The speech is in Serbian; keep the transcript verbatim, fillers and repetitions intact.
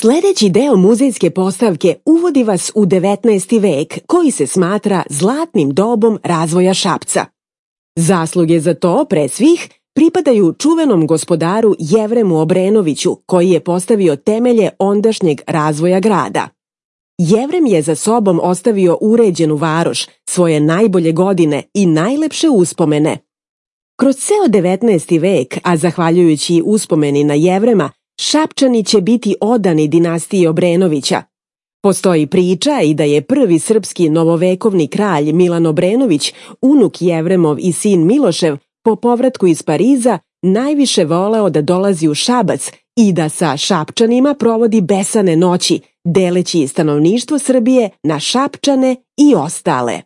Sljedeći deo muzejske postavke uvodi vas u devetnaesti vek, koji se smatra zlatnim dobom razvoja Šapca. Zasluge za to, pre svih, pripadaju čuvenom gospodaru Jevremu Obrenoviću, koji je postavio temelje ondašnjeg razvoja grada. Jevrem je za sobom ostavio uređenu varoš, svoje najbolje godine i najlepše uspomene. Kroz ceo devetnaesti vek, a zahvaljujući uspomeni na Jevrema, Šapčani će biti odani dinastiji Obrenovića. Postoji priča i da je prvi srpski novovekovni kralj Milan Obrenović, unuk Jevremov i sin Milošev, po povratku iz Pariza najviše voleo da dolazi u Šabac i da sa Šapčanima provodi besane noći, deleći stanovništvo Srbije na Šapčane i ostale.